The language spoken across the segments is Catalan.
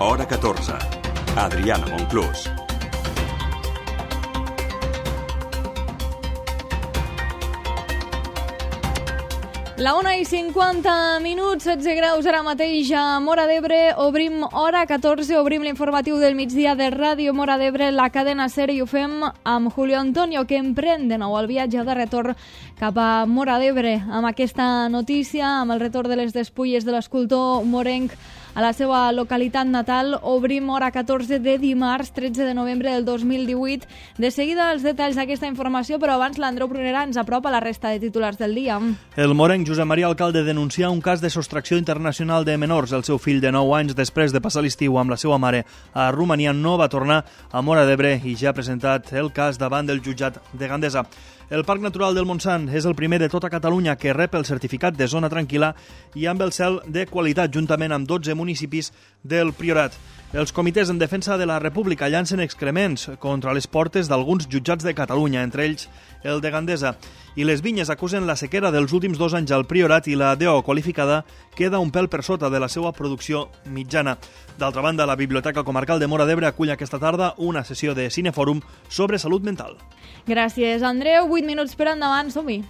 Hora 14. Adriana Monclús. La 1:50, 16 graus ara mateix a Móra d'Ebre. Obrim Hora 14, obrim l'informatiu del migdia de Ràdio Móra d'Ebre, la cadena SER, i ho fem amb Julio Antonio, que emprèn de nou el viatge de retorn cap a Móra d'Ebre. Amb aquesta notícia, amb el retorn de les despulles de l'escultor morenc a la seva localitat natal, obrim Hora 14 de dimarts 13 de novembre del 2018. De seguida els detalls d'aquesta informació, però abans l'Andreu Prunera ens apropa la resta de titulars del dia. El morenc Josep Maria Alcalde denuncia un cas de sostracció internacional de menors. El seu fill de 9 anys, després de passar l'estiu amb la seva mare a Romania, no va tornar a Móra d'Ebre i ja ha presentat el cas davant del jutjat de Gandesa. El Parc Natural del Montsant és el primer de tota Catalunya que rep el certificat de zona tranquil·la i amb el cel de qualitat, juntament amb 12 municipis del Priorat. Els comitès en defensa de la República llancen excrements contra les portes d'alguns jutjats de Catalunya, entre ells el de Gandesa. I les vinyes acusen la sequera dels últims 2 anys al Priorat i la DO qualificada queda un pèl per sota de la seva producció mitjana. D'altra banda, la Biblioteca Comarcal de Móra d'Ebre acull aquesta tarda una sessió de Cinefòrum sobre salut mental. Gràcies, Andreu. 8 minuts per endavant, som-hi.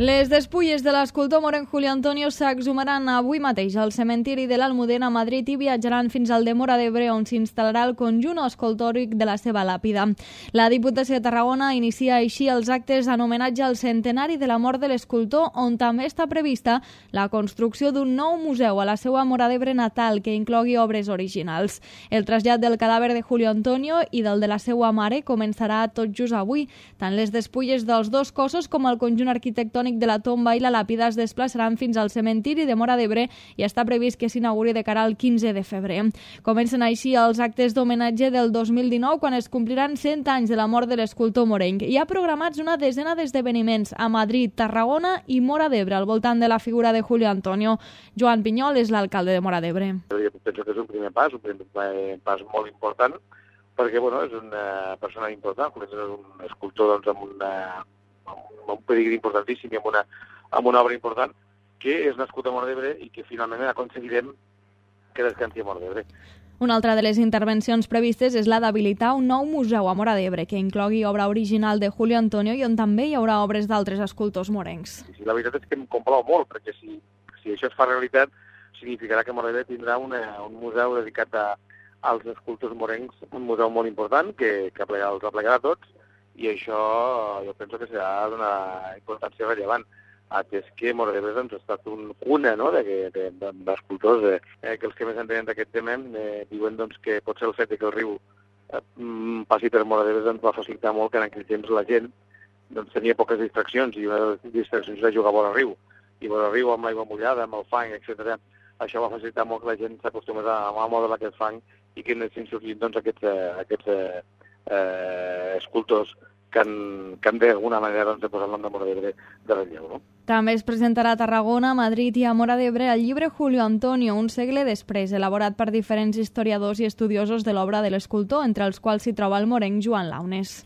Les despulles de l'escultor morenc Julio Antonio s'exhumaran avui mateix al cementiri de l'Almudena a Madrid i viatjaran fins al de Móra d'Ebre, on s'instal·larà el conjunt escultòric de la seva làpida. La Diputació de Tarragona inicia així els actes en homenatge al centenari de la mort de l'escultor, on també està prevista la construcció d'un nou museu a la seva Móra d'Ebre natal que inclogui obres originals. El trasllat del cadàver de Julio Antonio i del de la seva mare començarà tot just avui. Tant les despulles dels dos cossos com el conjunt arquitectònic de la tomba i la làpida es desplaçaran fins al cementiri de Móra d'Ebre i està previst que s'inauguri de cara al 15 de febrer. Comencen així els actes d'homenatge del 2019, quan es compliran 100 anys de la mort de l'escultor morenc. Hi ha programats una desena d'esdeveniments a Madrid, Tarragona i Móra d'Ebre al voltant de la figura de Julio Antonio. Joan Pinyol és l'alcalde de Móra d'Ebre. Jo penso que és un primer pas molt important, perquè és una persona important, és un escultor amb un pedigrí importantíssim i amb una obra important, que és nascut a Móra d'Ebre i que finalment aconseguirem que descansi a Móra d'Ebre. Una altra de les intervencions previstes és la d'habilitar un nou museu a Móra d'Ebre que inclogui obra original de Julio Antonio i on també hi haurà obres d'altres escultors morencs. Sí, la veritat és que em complau molt, perquè si això es fa realitat, significarà que Móra d'Ebre tindrà un museu dedicat als escultors morencs, un museu molt important que els aplegarà tots, i això jo penso que serà d'una importància rellevant, atès que Móra d'Ebre ha estat un cuna d'escultors, que els que més entenen d'aquest tema diuen que potser el fet que el riu passi per Móra d'Ebre ens va facilitar molt que en aquell temps la gent tenia poques distraccions, i una de les distraccions era jugar a vora riu, i vora riu amb l'aigua mullada, amb el fang, etc. Això va facilitar molt que la gent s'acostumés a moure aquest fang i que anessin sorgint aquests escultors que han d'alguna manera de posar el nom de Móra d'Ebre de relleu, no? També es presentarà a Tarragona, a Madrid i a Móra d'Ebre el llibre Julio Antonio, un segle després, elaborat per diferents historiadors i estudiosos de l'obra de l'escultor, entre els quals s'hi troba el morenc Joan Launes.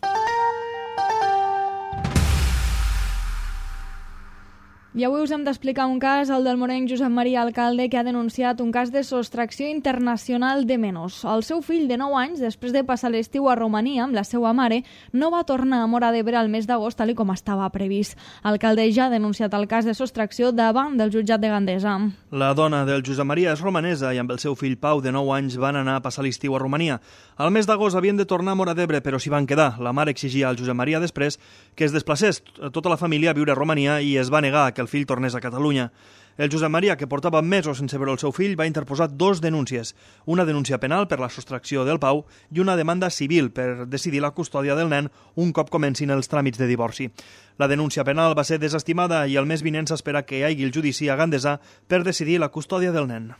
I avui us hem d'explicar un cas, el del morenc Josep Maria Alcalde, que ha denunciat un cas de sostracció internacional de menors. El seu fill de 9 anys, després de passar l'estiu a Romania amb la seva mare, no va tornar a Móra d'Ebre al mes d'agost, tal com estava previst. Alcalde ja ha denunciat el cas de sostracció davant del jutjat de Gandesa. La dona del Josep Maria és romanesa i amb el seu fill Pau, de 9 anys, van anar a passar l'estiu a Romania. Al mes d'agost havien de tornar a Móra d'Ebre, però s'hi van quedar. La mare exigia al Josep Maria després que es desplacés tota la família a viure a Romania i es va negar que el fill tornés a Catalunya. El Josep Maria, que portava mesos sense veure el seu fill, va interposar 2 denúncies. Una denúncia penal per la sostracció del Pau i una demanda civil per decidir la custòdia del nen un cop comencin els tràmits de divorci. La denúncia penal va ser desestimada i el mes vinent s'espera que hi hagi el judici a Gandesa per decidir la custòdia del nen.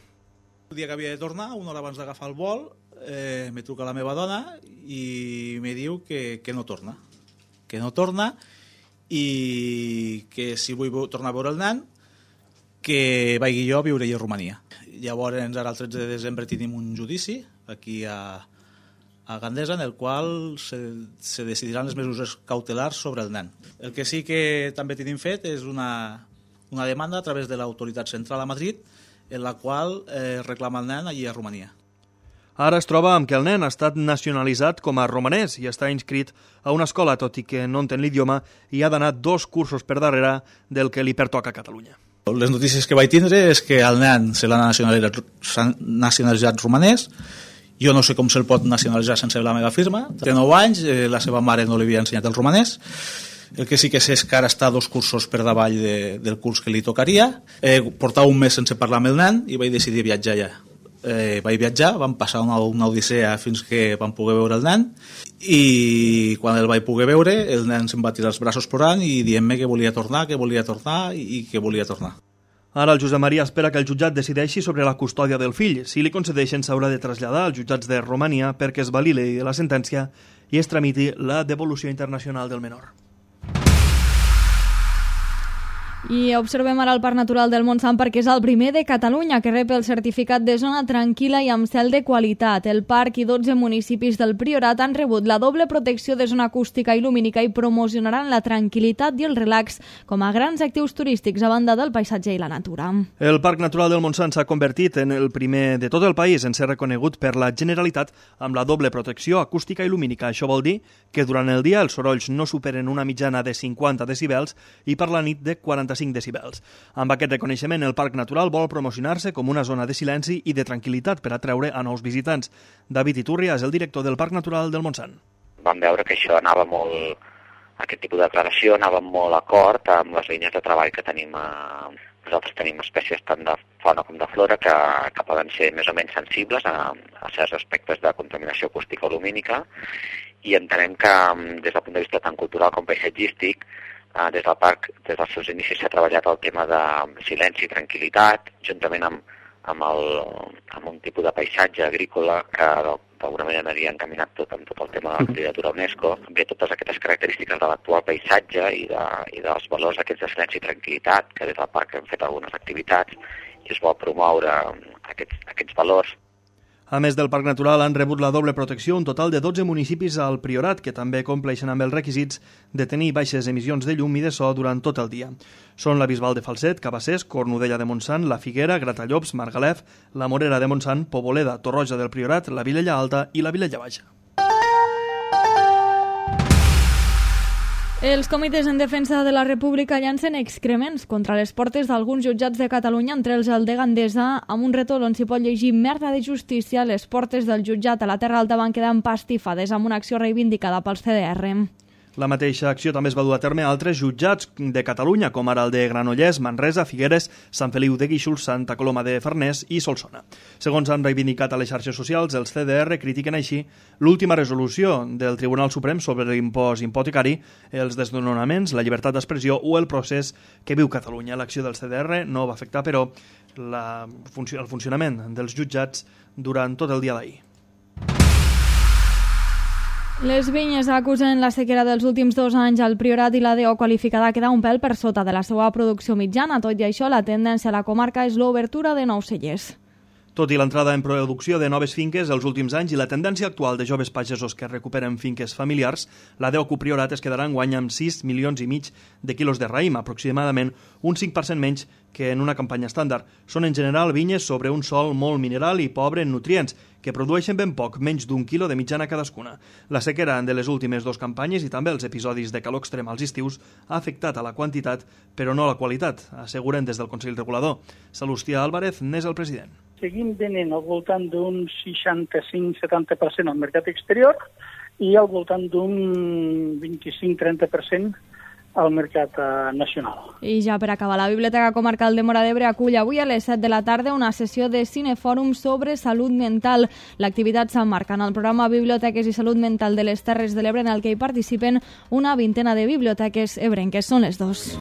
El dia que havia de tornar, una hora abans d'agafar el vol, me truca la meva dona i me diu que no torna. Que no torna i que si vull tornar a veure el nen, que vagi jo a viure a Romania. Llavors, ara el 13 de desembre tenim un judici aquí a a Gandesa, en el qual se decidiran les mesures cautelars sobre el nen. El que sí que també tenim fet és una demanda a través de l'autoritat central a Madrid, en la qual reclama el nen allí a Romania. Ara es troba amb que el nen ha estat nacionalitzat com a romanès i està inscrit a una escola, tot i que no entén l'idioma i ha d'anar 2 cursos per darrere del que li pertoca a Catalunya. Les notícies que vaig tindre és que el nen se l'ha nacionalitzat romanès. Jo no sé com se'l pot nacionalitzar sense la meva firma. Té 9 anys, la seva mare no li havia ensenyat el romanès. El que sí que sé és que ara està 2 cursos per davall del curs que li tocaria. Portava un mes sense parlar amb el nen i vaig decidir viatjar ja. Vaig viatjar, vam passar una odissea fins que vam poder veure el nen, i quan el vaig poder veure el nen se'm va tirar els braços plorant i dient-me que volia tornar i que volia tornar. Ara el Josep Maria espera que el jutjat decideixi sobre la custòdia del fill. Si li concedeixen, s'haurà de traslladar als jutjats de Romania perquè es validi la sentència i es tramiti la devolució internacional del menor. I observem ara el Parc Natural del Montsant perquè és el primer de Catalunya que rep el certificat de zona tranquil·la i amb cel de qualitat. El parc i 12 municipis del Priorat han rebut la doble protecció de zona acústica i lumínica i promocionaran la tranquil·litat i el relax com a grans actius turístics a banda del paisatge i la natura. El Parc Natural del Montsant s'ha convertit en el primer de tot el país en ser reconegut per la Generalitat amb la doble protecció acústica i lumínica. Això vol dir que durant el dia els sorolls no superen una mitjana de 50 decibels i per la nit de 45 decibels. Amb aquest reconeixement, el Parc Natural vol promocionar-se com una zona de silenci i de tranquil·litat per atreure a nous visitants. David Iturria és el director del Parc Natural del Montsant. Vam veure que això anava molt, aquest tipus de declaració anava molt acord amb les línies de treball que tenim. Nosaltres tenim espècies tant de fauna com de flora que poden ser més o menys sensibles a certs aspectes de contaminació acústica o lumínica, i entenem que des del punt de vista tant cultural com paisatgístic, des del parc, des dels seus inicis s'ha treballat el tema de silenci i tranquil·litat, juntament amb un tipus de paisatge agrícola que d'alguna manera aniria encaminat amb tot el tema de la candidatura UNESCO. Ve totes aquestes característiques de l'actual paisatge i dels valors aquests de silenci i tranquil·litat, que des del parc hem fet algunes activitats i es vol promoure aquests valors. A més del Parc Natural, han rebut la doble protecció un total de 12 municipis al Priorat, que també compleixen amb els requisits de tenir baixes emissions de llum i de so durant tot el dia. Són la Bisbal de Falset, Cabassers, Cornudella de Montsant, la Figuera, Gratallops, Margalef, la Morera de Montsant, Poboleda, Torroja del Priorat, la Vilella Alta i la Vilella Baixa. Els comitès en defensa de la República llancen excrements contra les portes d'alguns jutjats de Catalunya, entre els el de Gandesa, amb un retol on s'hi pot llegir merda de justícia. Les portes del jutjat a la Terra Alta van quedar empastifades amb una acció reivindicada pels CDR. La mateixa acció també es va dur a terme a altres jutjats de Catalunya, com ara el de Granollers, Manresa, Figueres, Sant Feliu de Guíxols, Santa Coloma de Farners i Solsona. Segons han reivindicat a les xarxes socials, els CDR critiquen així l'última resolució del Tribunal Suprem sobre l'impost hipotecari, els desnonaments, la llibertat d'expressió o el procés que viu Catalunya. L'acció dels CDR no va afectar, però, el funcionament dels jutjats durant tot el dia d'ahir. Les vinyes acusen la sequera dels últims 2 anys al Priorat i la DO qualificada queda un pèl per sota de la seva producció mitjana. Tot i això, la tendència a la comarca és l'obertura de nous cellers. Tot i l'entrada en producció de noves finques els últims anys i la tendència actual de joves pagesos que recuperen finques familiars, la DO Priorat es quedarà enguany amb 6,5 milions de quilos de raïm, aproximadament un 5% menys que en una campanya estàndard. Són en general vinyes sobre un sòl molt mineral i pobre en nutrients, que produeixen ben poc, menys d'1 quilo de mitjana cadascuna. La sequera de les últimes 2 campanyes i també els episodis de calor extrem als estius ha afectat a la quantitat, però no a la qualitat, asseguren des del Consell Regulador. Salustià Álvarez n'és el president. Seguim venent al voltant d'un 65-70% al mercat exterior i al voltant d'un 25-30% al mercat nacional. I ja per acabar, la Biblioteca Comarcal de Móra d'Ebre acull avui a les 7 de la tarda una sessió de cinefòrum sobre salut mental. L'activitat s'emmarca en el programa Biblioteques i Salut Mental de les Terres de l'Ebre, en el que hi participen una vintena de biblioteques ebrenques. Són les 2.